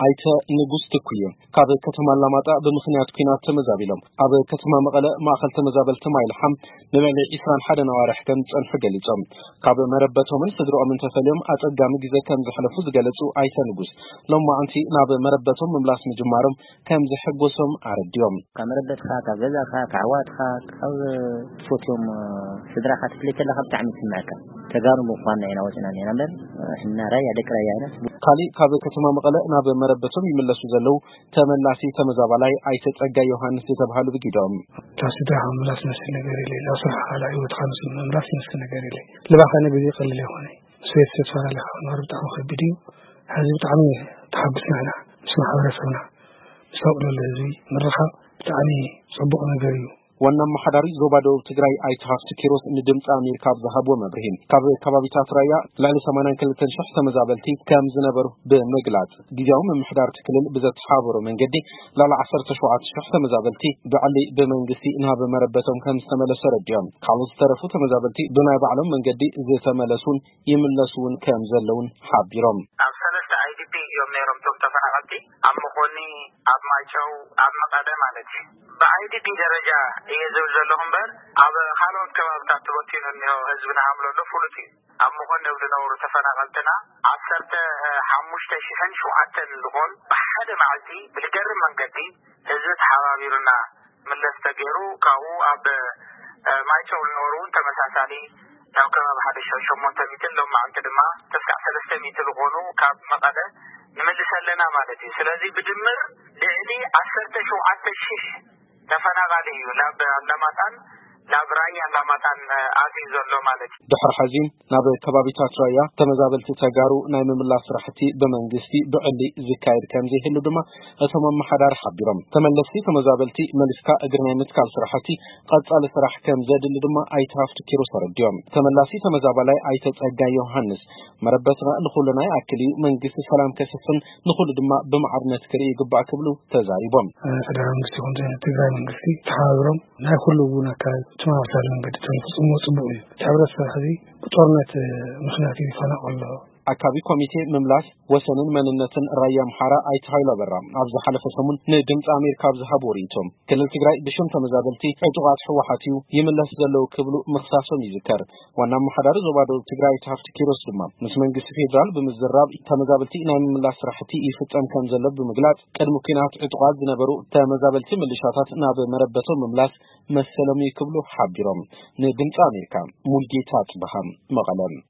ኣይተ ንጉስ ትኩየ ካብ ከተማ ኣላማጣ ብምኽንያት ኲናት ተመዛቢሎም ኣብ ከተማ መቐለ ማእኸል ተመዛበልቲ ማይልሓም ንልዕሊ ዕስራን ሓደን ኣዋርሕ ከም ዝጸንሑ ገሊጾም። ካብ መረበቶምን ስድርኦምን ተፈልዮም ኣጸጋሚ ግዜ ከም ዘሕለፉ ዝገለጹ ኣይተ ንጉስ፣ ሎማዕንቲ ናብ መረበቶም ምምላስ ምጅማሮም ከም ዘሐጎሶም ኣረዲኦም። ካብ መረበትካ፣ ካብ ገዛኻ፣ ካብ ኣሕዋትካ፣ ካብ ትፈትዮም ስድራኻ ትፍለይ ከለኻ ብጣዕሚ ይስምዐካ። ተጋሩ ምዃንና ኢና ወፂና እኒና እምበር፣ ሕና ራያ፣ ደቂ ራያ ኢና። ካሊእ ካብ ከተማ መቐለ ናብ መረበቶም ይምለሱ ዘለዉ ተመላሲ ተመዛባላይ ኣይተ ጸጋይ ዮሃንስ ዝተብሃሉ ብጊዶም። እታ ስድራኻ ምምላስ ዝመስል ነገር የለ፣ ናብ ስራሕኻ፣ ናብ ህይወትካ ምስ ምምላስ ዝመስል ነገር የለ። ልባኸ ነገር ይቐልል ይኾነ። ምስ ቤተሰብ ተፈላለኻ ምንባር ብጣዕሚ ከቢድ እዩ። ሕዚ ብጣዕሚ ተሓጉስና ኢና። ምስ ማሕበረሰብና፣ ምስ ኣውዕሎ ህዝቢ ምርኻብ ብጣዕሚ ጽቡቕ ነገር እዩ። ዋና ኣመሓዳሪ ዞባ ደቡብ ትግራይ ኣይተ ሃፍቱ ኪሮስ ንድምፂ ኣሜሪካ ኣብ ዝሃብዎ መብርሂ፣ ካብ ከባቢታት ራያ ልዕሊ ሰማንያን ክልተን ሽሕ ተመዛበልቲ ከም ዝነበሩ ብምግላጽ፣ ግዜያዊ ምምሕዳር እቲ ክልል ብዘተሓባበሮ መንገዲ ልዕሊ ዓሰርተ ሸውዓተ ሽሕ ተመዛበልቲ ብዕሊ ብመንግስቲ ናብ መረበቶም ከም ዝተመለሱ ኣረዲኦም። ካልኦት ዝተረፉ ተመዛበልቲ ብናይ ባዕሎም መንገዲ ዝተመለሱን ይምለሱ እውን ከም ዘለውን ሓቢሮም። ኣብ ሰለስተ ኣይ ዲ ፒ እዮም ነይሮም እቶም ተፈናቐልቲ፣ ኣብ መኾኒ፣ ኣብ ማይጨው፣ ኣብ መቐለ ማለት እዩ። ብ ኣይ ዲ ፒ ደረጃ እየ ዝብል ዘለኹ እምበር፣ ኣብ ካልኦት ከባብታት ተበቲኑ እኒሆ ህዝቢ ንሃምሎ ኣሎ ፍሉጥ እዩ። ኣብ መኾኒ ኣብ ዝነበሩ ተፈናቐልትና ዓሰርተ ሓሙሽተ ሽሕን ሸውዓተን ዝኾን ብሓደ መዓልቲ ብዝገርም መንገዲ ህዝቢ ተሓባቢሩና ምለስ ተገይሩ፣ ካብኡ ኣብ፣ እ፣ ማይጨው ዝነበሩ እውን ተመሳሳሊ ናብ ከባቢ ሓደ ሺሕ ሸሞንተ ሚእትን ሎማዕንቲ ድማ ተስካዕ ሰለስተ ሚእቲ ዝኾኑ ካብ መቐለ ንምልስ ኣለና ማለት እዩ። ስለዚ ብድምር ልዕሊ ዓሰርተ ሸውዓተ ሽሕ ተፈናቓሊ እዩ ናብ ኣላማጣን ናብ ራያ ኣላማጣን፣ እ፣ ኣትዩ ዘሎ ማለት እዩ። ድሕሪ ሕዚ ናብ ከባቢታት ራያ ተመዛበልቲ ተጋሩ ናይ ምምላስ ስራሕቲ ብመንግስቲ ብዕሊ ዝካየድ ከም ዘይህሉ ድማ እቶም ኣመሓዳሪ ሓቢሮም። ተመለስቲ ተመዛበልቲ መሊስካ እግሪ ናይ ምትካል ስራሕቲ ቀጻሊ ስራሕ ከም ዘድሊ ድማ ኣይተ ሃፍቱ ኪሮስ ኣረዲኦም። ተመላሲ ተመዛባላይ ኣይተ ጸጋይ ዮሃንስ መረበትና ንኹልና ይኣክል እዩ፣ መንግስቲ ሰላም ከስፍን ንኹሉ ድማ ብማዕርነት ክርኢ ይግባእ ክብሉ ተዛሪቦም። እ፣ ፌደራል መንግስቲ ይኹን ትግራይ መንግስቲ ተሓባቢሮም ናይ ኩሉ እውን ኣካል ተመሳሳሊ መንገዲ ተዝፍፅምዎ ፅቡቕ እዩ። እቲ ሕብረተሰብ ሕዚ ብጦርነት፣ እ፣ ምኽንያት እዩ ዝፈናቐሎ። ኣካቢ ኮሚቴ ምምላስ ወሰንን መንነትን ራያ ኣምሓራ ኣይተ ሃይሉ ኣበራ ኣብ ዝሓለፈ ሰሙን ንድምፂ ኣሜሪካ ኣብ ዝሃብዎ ርእይቶ፣ ክልል ትግራይ ብሽም ተመዛበልቲ ዕጡቓት ህወሓት እዩ ይምለስ ዘለዉ ክብሉ ምኽሳሶም ይዝከር። ዋና ኣመሓዳሪ ዞባ ደቡብ ትግራይ ኣይተ ሃፍቱ ኪሮስ ድማ ምስ መንግስቲ ፌዴራል ብምዝራብ ተመዛበልቲ ናይ ምምላስ ስራሕቲ ይፍፀም ከም ዘሎ ብምግላፅ፣ ቅድሚ ኲናት ዕጡቓት ዝነበሩ ተመዛበልቲ ምልሻታት ናብ መረበቶም ምምላስ መሰሎም እዩ ክብሉ ሓቢሮም። ንድምፂ ኣሜሪካ ሙልጌታ ጽበሃ፣ መቐለ።